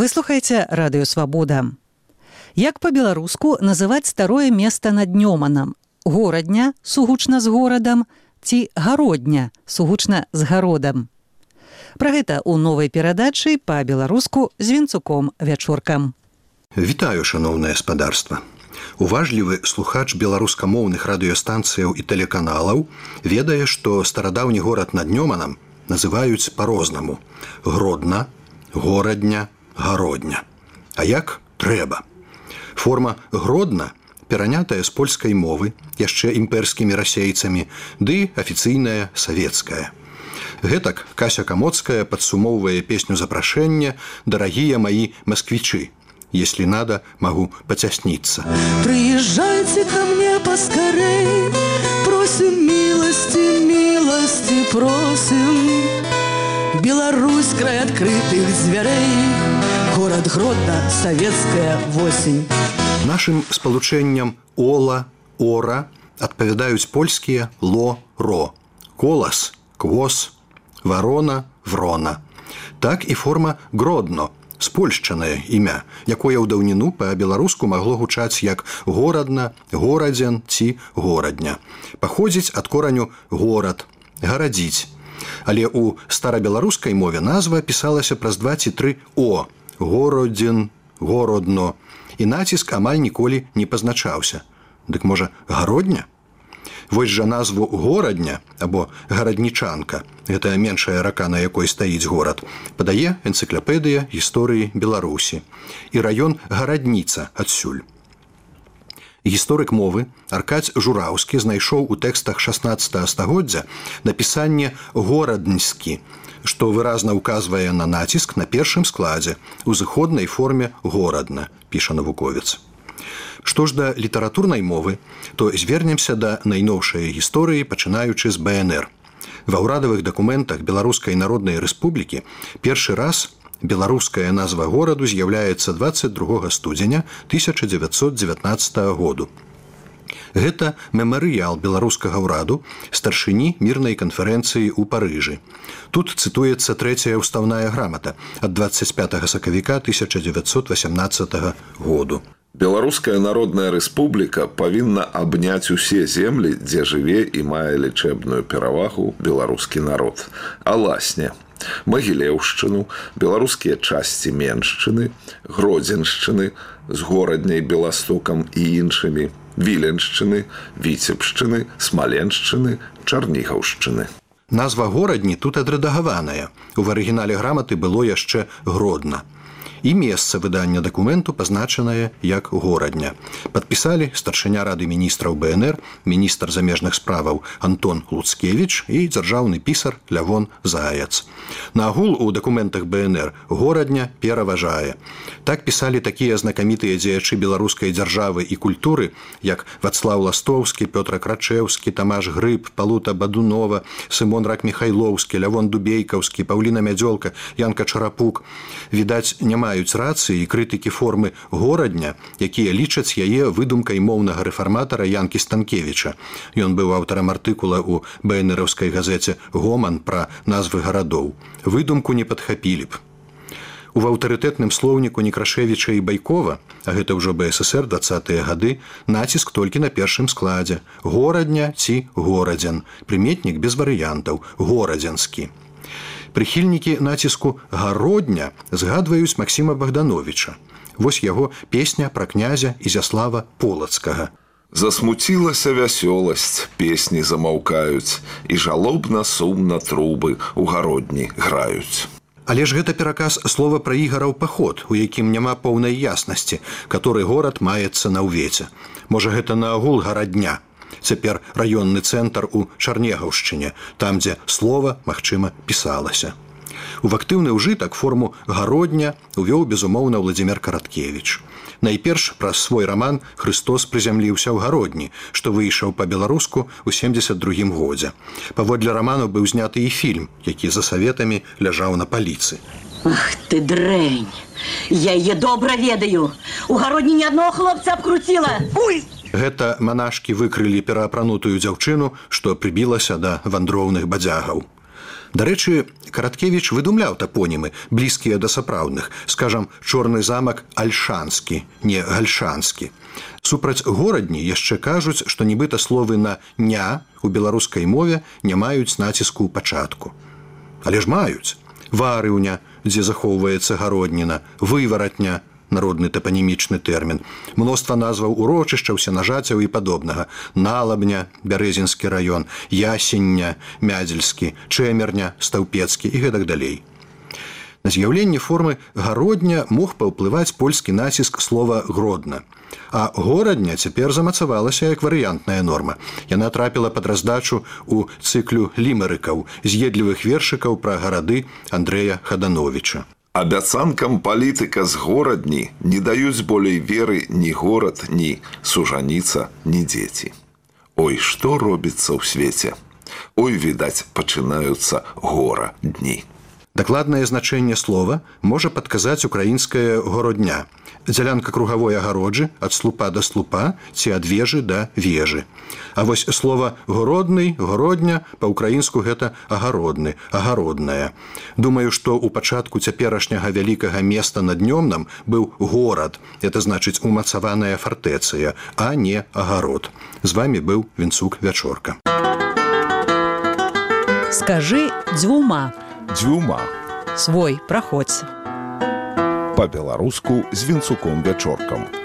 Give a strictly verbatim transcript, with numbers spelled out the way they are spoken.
Вы слухаеце радыё «Свабода». Як па-беларуску называць старое место над Нёманам? Горадня, сугучна з горадам, ці гародня, сугучна з гародам? Пра гэта ў новай перадачы па-беларуску з Вінцуком Вячоркам. Вітаю, шаноўнае спадарства. Уважлівы слухач беларускамоўных радыёстанцыяў і тэлеканалаў ведае, што старадаўні горад над Нёманам называюць па-рознаму: Гродна, горадня, гародня. А як трэба? Форма Гродна перанятая з польскай мовы, яшчэ імперскімі расейцамі, ды афіцыйная савецкая. Гэтак Кася Камоцкая падсумоўвае песню запрашэння «Дарагія мои москвичи». Если надо, могу потесниться. Приезжайте ко мне поскорей, просим милости, милости просим. Беларусь, край открытых дзвярэй, город Гродно, советская восень. Нашым спалучэнням «ола», «ора» адпавядаюць польскія «ло», «ро», «колас», «квос», «варона», «врона». Так і форма «гродно», спольшчанае імя, якое ў даўніну па-беларуску магло гучаць як горадна, горадзен ці горадня. Паходзіць ад кораню «горад», «гарадзіць». Але ў старабеларускай мове назва пісалася праз два ці тры «о» – «городзін», «городно», і націск амаль ніколі не пазначаўся. Дык можа, гародня? Вось жа назву горадня або гараднічанка, гэта меншая рака, на якой стаіць горад, падае энцыклапедыя гісторыі Беларусі. І раён гарадніца адсюль. Гісторык мовы Аркадзь Жураўскі знайшоў у тэкстах шаснаццатага стагоддзя напісанне «горадньскі», што выразна ўказвае на націск на першым складзе у зыходнай форме «горадна», піша навуковец. Што ж да літаратурнай мовы, то звернемся да найноўшай гісторыі, пачынаючы з бэ эн эр. Ва ўрадавых дакументах Беларускай Народнай Рэспублікі першы раз беларуская назва гораду з'яўляецца дваццаць другога студзеня тысяча дзевяцьсот дзевятнаццатага году. Гэта мемарыял беларускага ўраду старшыні мірнай канферэнцыі ў Парыжы. Тут цытуецца трэцяя ўставная грамата ад дваццаць пятага сакавіка тысяча дзевяцьсот васямнаццатага году. Беларуская Народная Рэспубліка павінна абняць усе землі, дзе жыве і мае лічэбную перавагу беларускі народ. Аласне, Магілеўшчыну, беларускія часці Меншчыны, Гродзеншчыны з горадняй Беластокам і іншымі, Віленшчыны, Віцебшчыны, Смаленшчыны, Чарнігаўшчыны. Назва горадні тут адрэдагаваная. У арыгінале граматы было яшчэ Гродна. І месца выдання дакументу пазначанае як горадня. Падпісалі старшыня рады міністраў бэ эн эр, міністр замежных справаў Антон Луцкевіч і дзяржаўны пісар Лявон Заяц. Наагул у дакументах бэ эн эр горадня пераважае. Так пісалі такія знакамітыя дзеячы беларускай дзяржавы і культуры, як Вацлаў Ластоўскі, Пётр Крачэўскі, Тамаш Грыб, Палута Бадунова, Сымон Рак-Міхайлоўскі, Лявон Дубейкаўскі, Паўліна Мядзёлка, Янка Чарапук. Відаць, няма маюць рацыі і крытыкі формы горадня, якія лічаць яе выдумкай моўнага рэфарматара Янкі Станкевіча. Ён быў аўтарам артыкула ў бэ эн эраўскай газеце «Гоман» пра назвы гарадоў. Выдумку не падхапілі б. У аўтарытэтным слоўніку Некрашевіча і Байкова, а гэта ўжо бэ эс эс эр дваццатыя гады, націск толькі на першым складзе. Горадня ці горадзен. Прыметнік без варыянтаў. Горадзенскі. Прыхільнікі націску «гародня» згадваюць Максіма Богдановича. Вось яго песня пра князя Ізяслава Полацкага. Засмуцілася вясёласць, песні замаўкаюць, і жалобна сумна трубы ў гародні граюць. Але ж гэта пераказ слова пра ігараў паход, у якім няма поўнай яснасці, каторы горад маецца на ўвеце. Можа, гэта наогул гарадня. Цяпер раённы цэнтр у Чарнегаўшчыне, там, дзе слова, магчыма, пісалася. У актыўны ўжытак форму «гародня» увёў, безумоўна, Владзімір Караткевіч. Найперш праз свой раман «Хрыстос прызямліўся ў гародні», што выйшаў па-беларуску ў семдзесят другім годзе. Паводле раману быў зняты і фільм, які за саветамі ляжаў на паліцы. Ах ты дрэнь! Я яе добра ведаю! У гародні ні аднаго хлопца абкруціла! Уй! Гэта манашкі выкрылі пераапранутую дзяўчыну, што прыбілася да вандроўных бадзягаў. Дарэчы, Караткевіч выдумляў тапонімы, блізкія да сапраўдных. Скажам, Чорны замак альшанскі, не гальшанскі. Супраць горадні яшчэ кажуць, што нібыта словы на «ня» у беларускай мове не маюць націску ў пачатку. Але ж маюць. Варыўня, дзе захоўваецца гародніна, вываратня, народны тапанімічны тэрмін, мноства назваў урочышчаў, сенажацяў і падобнага, Налабня, Бярэзінскі раён, Ясення, Мядзельскі, Чэмерня, Стаўпецкі і гэтак далей. На з'яўленне формы гародня мог паўплываць польскі націск слова «гродна». А горадня цяпер замацавалася як варыянтная норма. Яна трапіла пад раздачу ў цыклю лімерыкаў, з'едлівых вершыкаў пра гарады Андрэя Хадановіча. Абяцанкам палітыка з горадні не даюць болей веры ні горад, ні сужаніца, ні дзеці. Ой, што робіцца ў свеце? Ой, відаць, пачынаюцца гора дні. Дакладнае значэнне слова можа падказаць украінская городня. Дзялянка кругавой агароджы ад слупа да слупа ці ад вежы да вежы. А вось слова «городны», «городня» па-ўкраінску гэта «агародны», «агародная». Думаю, што ў пачатку цяперашняга вялікага места над Днёмнам быў горад. Это значыць умацаваная фартэцыя, а не агарод. З вамі быў Вінцук Вячорка. Скажы дзвюма. Дзвюма. Свой праходзь. Па-беларуску з Вінцуком Вячоркам.